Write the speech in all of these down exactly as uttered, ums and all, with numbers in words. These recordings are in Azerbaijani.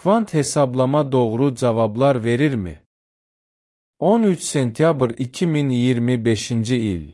Kvant hesablama doğru cavablar verir mi? on üç sentyabr iki min iyirmi beşinci il.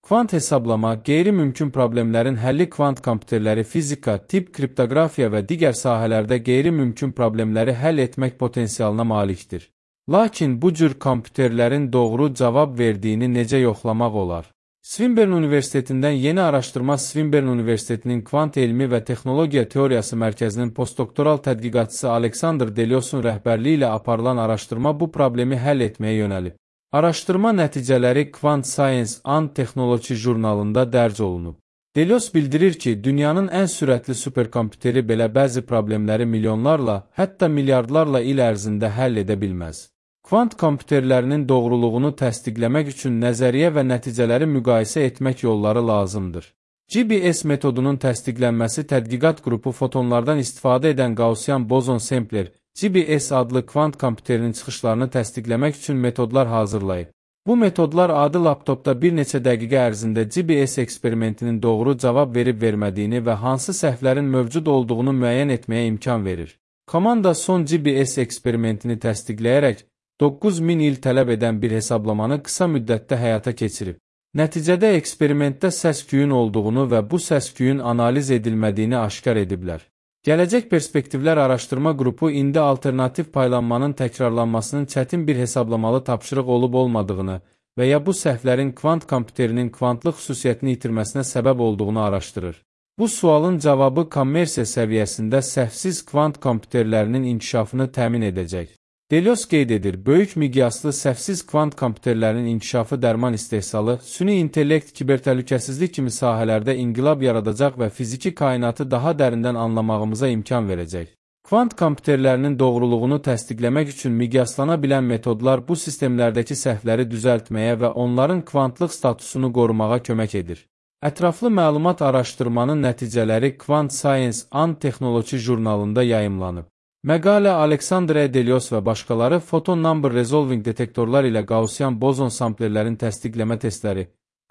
Kvant hesablama, qeyri-mümkün problemlərin həlli kvant kompüterləri fizika, tibb, kriptografiya və digər sahələrdə qeyri-mümkün problemləri həll etmək potensialına malikdir. Lakin bu cür kompüterlərin doğru cavab verdiyini necə yoxlamaq olar? Swinburne Universitetindən yeni araşdırma Swinburne Universitetinin Kvant Elmi və Texnologiya Teoriyası Mərkəzinin postdoktoral tədqiqatçısı Aleksandr Deliosun rəhbərliyi ilə aparılan araşdırma bu problemi həll etməyə yönəlib. Araşdırma nəticələri Quant Science and Technology jurnalında dərc olunub. Delios bildirir ki, dünyanın ən sürətli superkompüteri belə bəzi problemləri milyonlarla, hətta milyardlarla il ərzində həll edə bilməz. Kvant kompüterlərinin doğruluğunu təsdiqləmək üçün nəzəriyyə və nəticələri müqayisə etmək yolları lazımdır. G B S metodunun təsdiqlənməsi tədqiqat qrupu fotonlardan istifadə edən Gaussian bozon Sampler, G B S adlı kvant kompüterinin çıxışlarını təsdiqləmək üçün metodlar hazırlayıb. Bu metodlar adi laptopda bir neçə dəqiqə ərzində G B S eksperimentinin doğru cavab verib-vermədiyini və hansı səhvlərin mövcud olduğunu müəyyən etməyə imkan verir. Komanda son G B S eksperimentini təsdiqləyərək doqquz min il tələb edən bir hesablamanı qısa müddətdə həyata keçirib. Nəticədə eksperimentdə səs-küyün olduğunu və bu səs-küyün analiz edilmədiyini aşkar ediblər. Gələcək perspektivlər araşdırma qrupu indi alternativ paylanmanın təkrarlanmasının çətin bir hesablamalı tapşırıq olub-olmadığını və ya bu səhvlərin kvant kompüterinin kvantlıq xüsusiyyətini itirməsinə səbəb olduğunu araşdırır. Bu sualın cavabı kommersiya səviyyəsində səhvsiz kvant kompüterlərinin inkişafını təmin edəcək. Delios qeyd edir, böyük miqyaslı səhvsiz kvant kompüterlərinin inkişafı dərman istehsalı, süni intellekt, kibertəhlükəsizlik kimi sahələrdə inqilab yaradacaq və fiziki kainatı daha dərindən anlamağımıza imkan verəcək. Kvant kompüterlərinin doğruluğunu təsdiqləmək üçün miqyaslana bilən metodlar bu sistemlərdəki səhvləri düzəltməyə və onların kvantlıq statusunu qorumağa kömək edir. Ətraflı məlumat araşdırmanın nəticələri Quant Science and Technology jurnalında yayımlanıb. Məqalə Aleksandr Delios və başqaları Photon Number Resolving detektorlar ilə Gaussian bozon samplerlərin təsdiqləmə testləri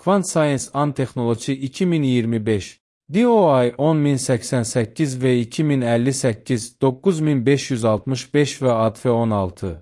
Quant Science and Technology iki min iyirmi beş D O I on min səksən səkkiz və iki min əlli səkkiz doqquz min beş yüz altmış beş və A D F on altı